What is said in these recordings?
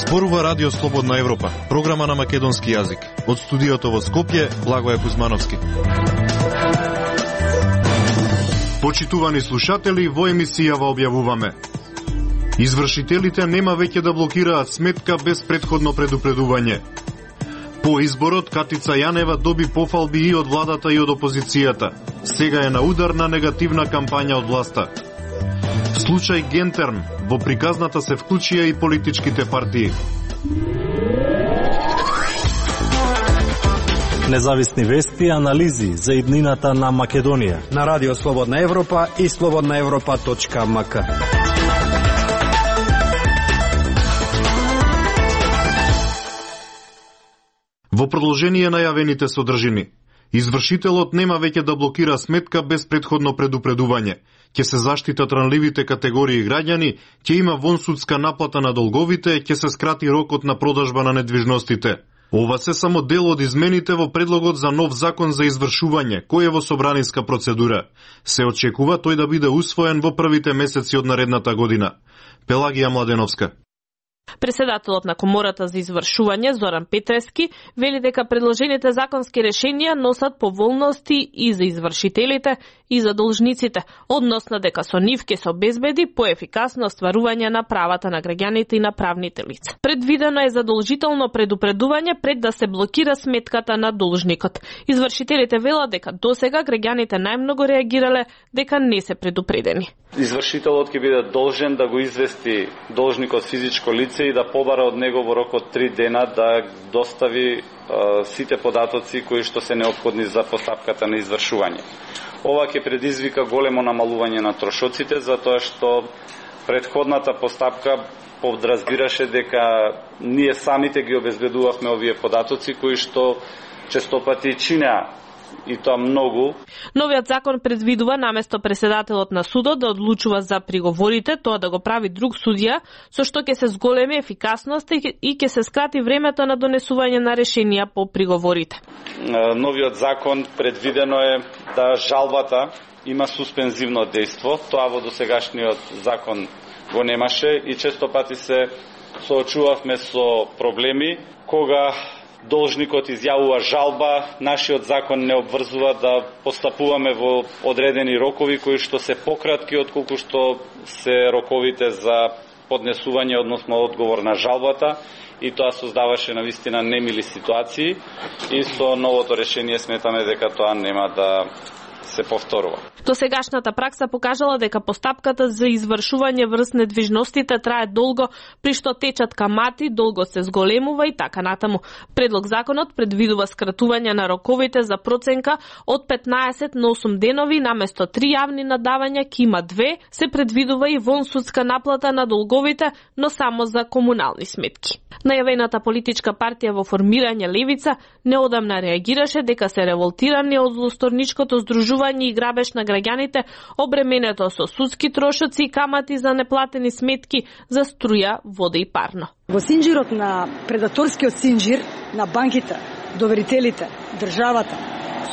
Зборува Радио Слободна Европа, програма на македонски јазик. Од студиото во Скопје, Благоје Кузмановски. Почитувани слушатели, во емисијава објавуваме: извршителите нема веќе да блокираат сметка без претходно предупредување. По изборот, Катица Јанева доби пофалби и од владата и од опозицијата. Сега е на удар на негативна кампања од власта. Случај Гентерн, во приказната се вклучија и политичките партии. Независни вести и анализи за иднината на Македонија на Радио Слободна Европа и slobodnaevropa.mk. Во продолжение на јавените содржини, извршителот нема веќе да блокира сметка без претходно предупредување. Ќе се заштитат ранливите категории граѓани, ќе има вонсудска наплата на долговите, ќе се скрати рокот на продажба на недвижностите. Ова се само дел од измените во предлогот за нов закон за извршување, кој е во собранинска процедура. Се очекува тој да биде усвоен во првите месеци од наредната година. Пелагија Младеновска. Преседателот на Комората за извршување Зоран Петрески вели дека предложените законски решенија носат поволности и за извршителите и за должниците, односно дека со нив ќе се обезбеди поефикасно остварување на правата на граѓаните и на правните лица. Предвидено е задолжително предупредување пред да се блокира сметката на должникот. Извршителите велат дека досега граѓаните најмногу реагирале дека не се предупредени. Извршителот ќе биде должен да го извести должникот физичко лице и да побара од него во рок од 3 дена да достави сите податоци кои што се неопходни за постапката на извршување. Ова ќе предизвика големо намалување на трошоците, затоа што предходната постапка подразбираше дека ние самите ги обезбедувавме овие податоци кои што честопати чинеа и тоа многу. Новиот закон предвидува наместо преседателот на судот да одлучува за приговорите, тоа да го прави друг судија, со што ќе се зголеми ефикасност и ќе се скрати времето на донесување на решенија по приговорите. Новиот закон предвидено е да жалбата има суспензивно дејство, тоа во досегашниот закон го немаше и често пати се соочувавме со проблеми кога должникот изјавува жалба, нашиот закон не обврзува да постапуваме во одредени рокови кои што се пократки отколку што се роковите за поднесување, односно одговор на жалбата, и тоа создаваше навистина немили ситуации и со новото решение сметаме дека тоа нема да се повторува. Досегашната пракса покажала дека постапката за извршување врз недвижностите трае долго, при што течат камати, долго се зголемува и така натаму. Предлог законот предвидува скратување на роковите за проценка од 15 на 8 денови, наместо 3 јавни надавања ќе има 2, се предвидува и вонсудска наплата на долговите, но само за комунални сметки. Најавената политичка партија во формирање Левица неодамна реагираше дека се револтирани од злосторничкото здружување и грабеж на граѓаните, обременето со судски трошоци и камати за неплатени сметки за струја, вода и парно. Во синџирот на предаторскиот синџир на банките, доверителите, државата,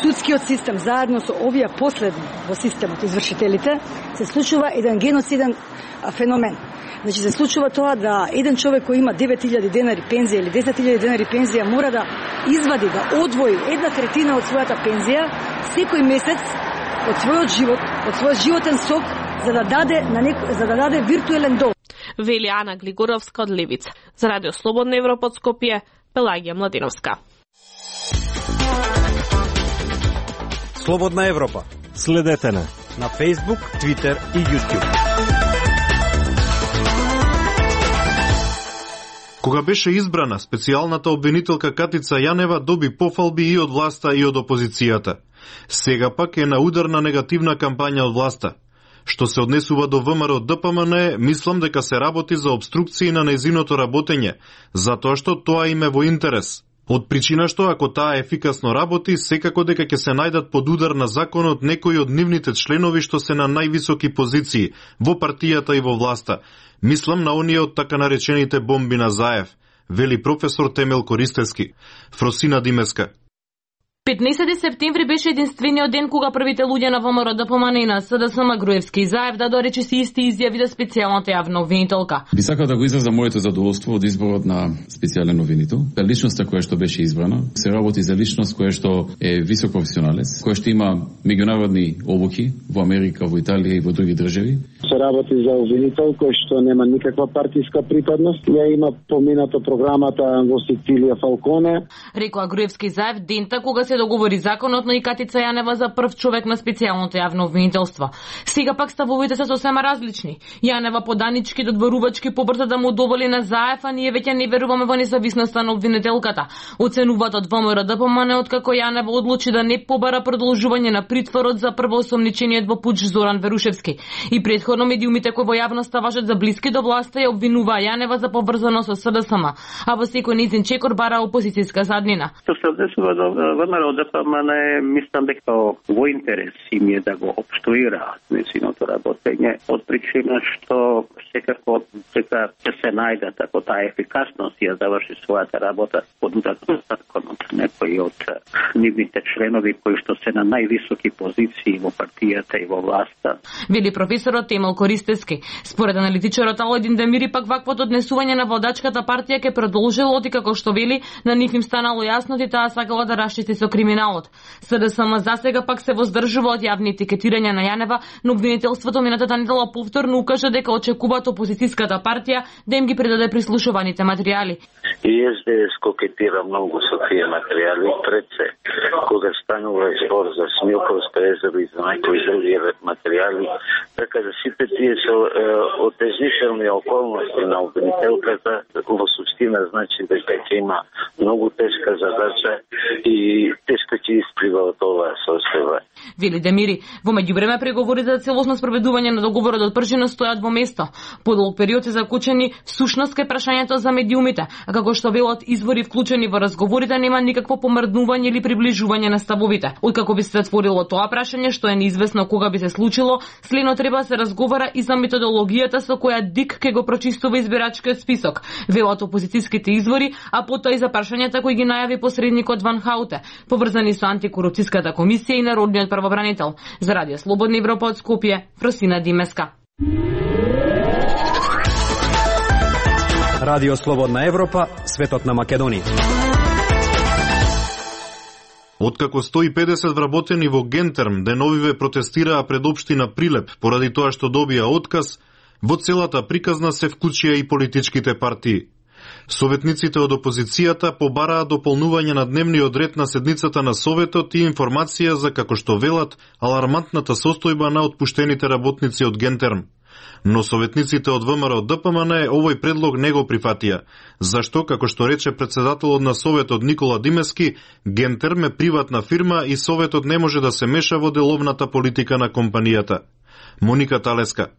судскиот систем заедно со овие последни во системот извршителите се случува еден геноциден феномен. Значи се случува тоа да еден човек кој има 9000 денари пензија или 10.000 денари пензија мора да извади, да одвои 1/3 од својата пензија секој месец од својот живот, од својот животен сок за да даде виртуелен долг. Вели Ана Глигоровска од Левица. За Радио Слободна Европа од Скопје, Пелагија Младеновска. Слободна Европа. Следете на Facebook, Twitter и YouTube. Кога беше избрана, специјалната обвинителка Катица Јанева доби пофалби и од власта и од опозицијата. Сега пак е на удар на негативна кампања од власта. Што се однесува до ВМРО ДПМН, мислам дека се работи за обструкции на нејзиното работење, затоа што тоа им е во интерес. Од причина што ако таа ефикасно работи, секако дека ќе се најдат под удар на законот некои од нивните членови што се на највисоки позиции во партијата и во власта. Мислам на оние од така наречените бомби на Заев, вели професор Темел Користевски. Фросина Димеска. 15 септември беше единствениот ден кога првите луѓе на ВМРО ДПМН и на СДСМ Груевски и Заев да дорече си исти изјави да специјалната јавна обвинителка. Би сакал да го изразам моето задоволство од изборот на специјален обвинител. Личноста која што беше избрана се работи за личност која што е висок професионалец, која што има меѓународни обуки во Америка, во Италија и во други држави. Се работи за обвинител кој што нема никаква партиска припадност. Ја има поминато програмата во Сицилија Фалконе. Рекоа Груевски и Заев дента кога се договори законот, но и Катица Јанева за прв човек на специјалното јавно обвинителство. Сега пак ставовите се сосема различни. Јанева поданички додворувачки побрза да му доволи на Заев, а ние веќе не веруваме во независноста на обвинителката. Оценуваат од ВМРО ДПМН откако Јанева одлучи да не побара продолжување на притворот за првоосомничениот во пуч Зоран Верушевски. И претходно медиумите кои во јавноста важат за блиски до власта ја обвинуваа Јанева за поврзано со СДСМ, а во секој нејзин чекор бара опозицијска заднина. ВМРО ДПМН мислам дека во интерес им е да го обструираат нејзиното работење од причина што секако дека ќе се најдат ако таа ефикасност ја заврши својата работа под удар на законот некои од нивните членови кои што се на највисоки позиции во партијата и во власта. Вели професорот Емил Користевски. Според аналитичарот Алојдин Демири пак ваквото однесување на владачката партија ќе продолжило оти како што вели на нив им станало јасно и таа сакала да расчисти со криминалот. СДСМ засега пак се воздржува од јавни етикетирања на Јанева, но обвинителството минатата недела повторно укажа дека очекуваат опозицијската партија да им ги предаде прислушуваните материјали. И СДС кокетира многу со тие материјали пред се. Кога станува збор за Смилковско езеро и за некои други материјали, така да сите тие се отежнителни околности на обвинителката во суштина значи дека ќе има многу тешка задача и тешко ќе исплива од оваа состојба. Вели Демири, во меѓувреме преговорите за целосно спроведување на договорот од првина стојат во место. Подолг период се закучени всушност кај прашањето за медиумите, а како што велат извори вклучени во разговорите нема никакво помрднување или приближување на ставовите. Откако би се затворило тоа прашање, што е неизвестно кога би се случило, следно треба да се разговара и за методологијата со која ДИК ќе го прочистува избирачкиот список. Велат опозицијските извори, а потоа и за прашањата кои ги најави посредникот Ван Хауте, поврзани со антикорупцијската комисија и народниот правобранител. За Радио Слободна Европа од Скопје, Фросина Димеска. Радио Слободна Европа, светот на Македонија. Откако 150 вработени во Гентерм деновиве протестираа пред општина Прилеп поради тоа што добија отказ, во целата приказна се вклучија и политичките партии. Советниците од опозицијата побараа дополнување на дневниот ред на седницата на Советот и информација за, како што велат, алармантната состојба на отпуштените работници од Гентерм. Но советниците од ВМРО ДПМН овој предлог не го прифатија, зашто, како што рече председателот на Советот Никола Димески, Гентерм е приватна фирма и Советот не може да се меша во деловната политика на компанијата. Моника Талеска.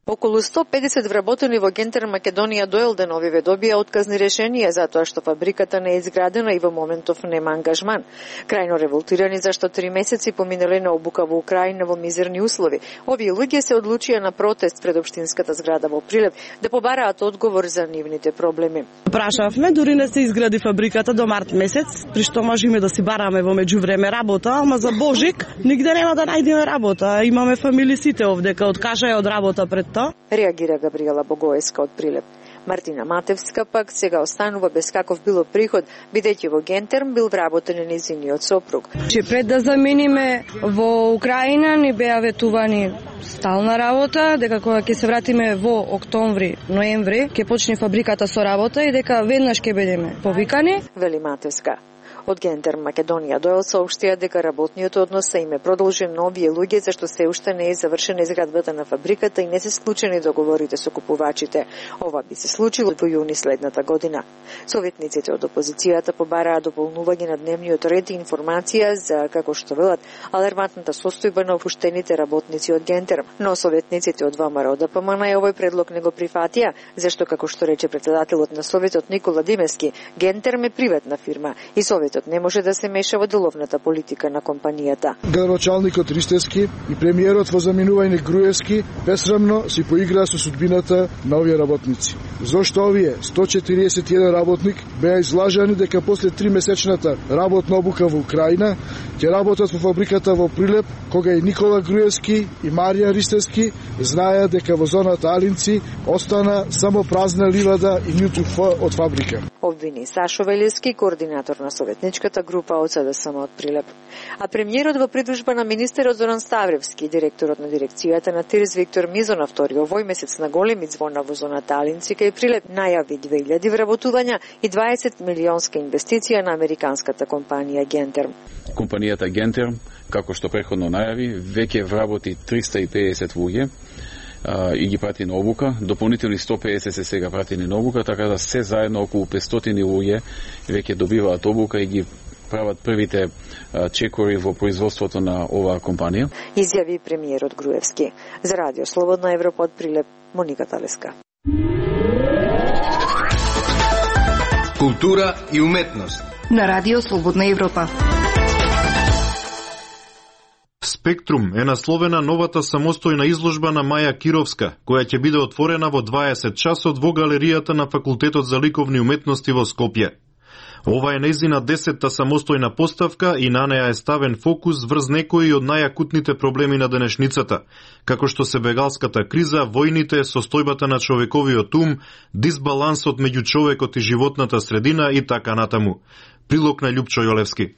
Околу 150 вработени во Гентерм Македонија до Елденовиве добија отказни решенија затоа што фабриката не е изградена и во моментов нема ангажман. Крајно револтирани зашто 3 месеци поминале на обука во Украина во мизерни услови. Овие луѓе се одлучија на протест пред општинската зграда во Прилеп да побараат одговор за нивните проблеми. Прашавме, дури не се изгради фабриката до март месец, при што можеме да си бараме во меѓувреме работа, ама за Божик нигде нема да најдеме работа. Имаме фамилии сите овдека, откажаја од работа пред тоа. Реагира Габриела Богоеска од Прилеп. Мартина Матевска пак сега останува без каков било приход, бидејќи во Гентерм бил вработен нејзиниот сопруг. Пред да замениме во Украина ни беа ветувани стална работа, дека кога ќе се вратиме во октомври, ноември, ќе почне фабриката со работа и дека веднаш ќе бидеме повикани. Вели Матевска. Од Гентерм Македонија доел соопштија дека работниот однос се им е продолжен на овие луѓе зашто се уште не е завршена изградбата на фабриката и не се склучени договорите со купувачите. Ова би се случило во јуни следната година. Советниците од опозицијата побараа дополнување на дневниот ред и информација за, како што велат, алармантната состојба на опуштените работници од Гентерм. Но советниците од ВМРО ДПМН овој предлог не го прифатија, зашто, како што рече председателот на Советот Никола Димески, Гентерм е приватна фирма и Советот Советот не може да се меша во деловната политика на компанијата. Градоначалникот Ристевски и премиерот во заминување Груевски бесрамно си поиграа со судбината на овие работници. Зошто овие 141 работник беа излажани дека после 3-месечната работна обука во Украина ќе работат во фабриката во Прилеп, кога и Никола Груевски и Марија Ристевски знаеа дека во зоната Алинци остана само празна ливада и ниту од фабрика. Обвини Сашо Велевски, координатор на советничката група од СДСМ од Прилеп. А премиерот во придужба на министерот Зоран Ставревски, директорот на дирекцијата на ТИРЗ Виктор Мизонов овој месец на големи звона во зоната Алинци кај Прилеп најави 2000 вработувања и 20 милионска инвестиција на американската компанија Гентерм. Компанијата Гентерм, како што претходно најави, веќе вработи 350 луѓе и ги прати на обука, дополнителни 150 се сега пратени на обука, така да се заедно околу 500 луѓе веќе добиваат обука и ги прават првите чекори во производството на оваа компанија. Изјави премиерот Груевски. За Радио Слободна Европа од Прилеп, Моника Талеска. Култура и уметност на Радио Слободна Европа. Спектрум е насловена новата самостојна изложба на Маја Кировска, која ќе биде отворена во 20 часот во галеријата на Факултетот за ликовни уметности во Скопје. Ова е нејзина 10-та самостојна поставка и на неа е ставен фокус врз некои од најакутните проблеми на денешницата, како што се бегалската криза, војните, состојбата на човековиот ум, дисбалансот меѓу човекот и животната средина и така натаму. Прилог на Љупчо Јолевски.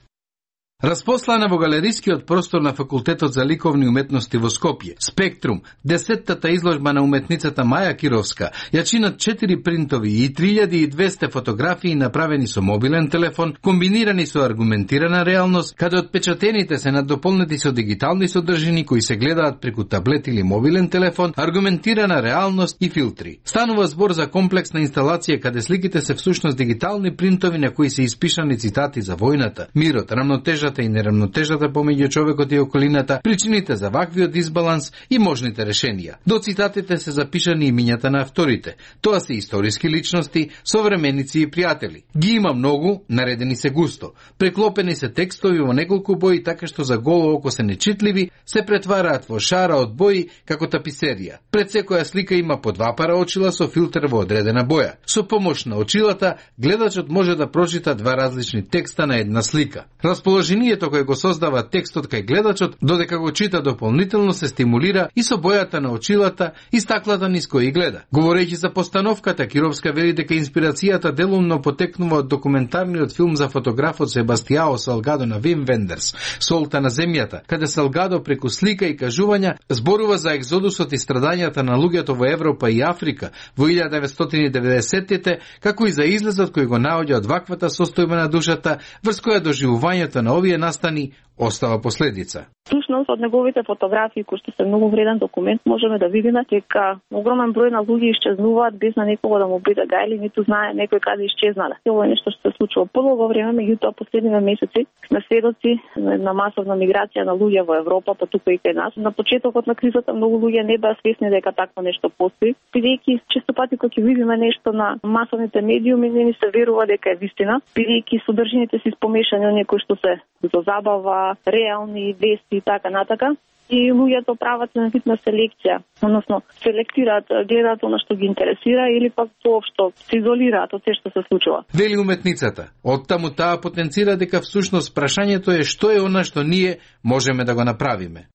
Распослана во галерискиот простор на Факултетот за ликовни уметности во Скопје, Спектрум, 10-тата изложба на уметницата Маја Кировска, ја чинат 4 принтови и 3200 фотографии направени со мобилен телефон, комбинирани со аргументирана реалност, каде отпечатените се надополнети со дигитални содржини кои се гледаат преку таблет или мобилен телефон, аргументирана реалност и филтри. Станува збор за комплексна инсталација каде сликите се всушност дигитални принтови на кои се испишани цитати за војната, мирот, рамнотежата и нерамнотежата помеѓу човекот и околината, причините за ваквиот дисбаланс и можните решенија. До цитатите се запишани имињата на авторите. Тоа се историски личности, современици и пријатели. Ги има многу, наредени се густо. Преклопени се текстови во неколку бои, така што за голо око се нечитливи, се претвараат во шара од бои како таписерија. Пред секоја слика има по 2 пара очила со филтер во одредена боја. Со помош на очилата, гледачот може да прочита 2 различни текста на една слика. Расположението кој го создава текстот кај гледачот, додека го чита дополнително се стимулира и со бојата на очилата и стаклата низ кој гледа. Говорејќи за постановката, Кировска вели дека инспирацијата делумно потекнува од документарниот филм за фотографот Себастијао Салгадо на Вим Вендерс, Солта на земјата, каде Салгадо преку слика и кажувања зборува за екзодусот и страдањата на луѓето во Европа и Африка во 1990-тите, како и за излезот кој го наоѓа од ваквата состојба на душата, врз која доживувањето на овие настани остава последица. Всушност од неговите фотографии, кои што се многу вреден документ, можеме да видиме дека огромен број на луѓе исчезнуваат без на некого да му биде гајли, ниту знае некој каде исчезнале. Ова е нешто што се случува подолго време, меѓутоа последниве месеци сме сведоци на масовна миграција на луѓе во Европа, па тука и кај нас. На почетокот на кризата многу луѓе не беа свесни дека такво нешто постои. Бидејќи често пати кога ќе видиме нешто на масовните медиуми, не ни се верува дека е вистина, бидејќи содржините се испомешани од некои што се за забава, реални вести и така натака. И луѓето прават на вид на селекција, односно селектираат, гледаат она што ги интересира или пак воопшто се изолираат од се што се случува. Вели уметницата. Оттаму таа потенцира дека всушност прашањето е што е она што ние можеме да го направиме.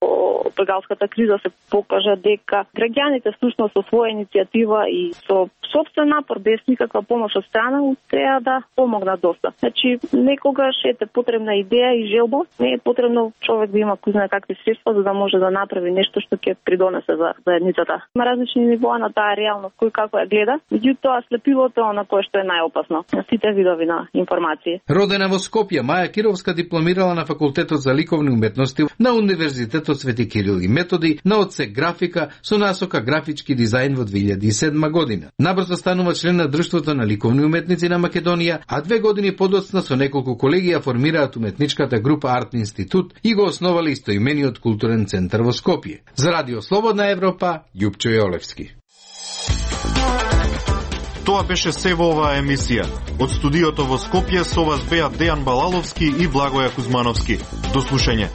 Бегалската криза се покажа дека граѓаните всушност со своја иницијатива и со собствен напор, без никаква помош од страна, треба да помогнат доста. Значи, некогаш е потребна идеја и желба, не е потребно човек да има кој знае какви средства за да може да направи нешто што ќе придонесе за заедницата. Има различни нивоа на таа реалност, кој како ја гледа, меѓутоа слепилото е она кое што е најопасно на сите видови на информации. Родена во Скопје, Маја Кировска дипломирала на Факултетот за ликовни уметности на Универзитетот Свети Кирил и Методи на одсек графика со насока графички дизајн во 2007 година. Набрзо станува член на Друштвото на ликовни уметници на Македонија, а 2 години подоцна со неколку колеги ја формираат уметничката група Арт Институт и го основале истоимениот културен центар во Скопје. За Радио Слободна Европа, Љупчо Јолевски. Тоа беше се во оваа емисија. Од студиото во Скопје со вас беа Дејан Балаловски и Благоја Кузмановски. До слушање.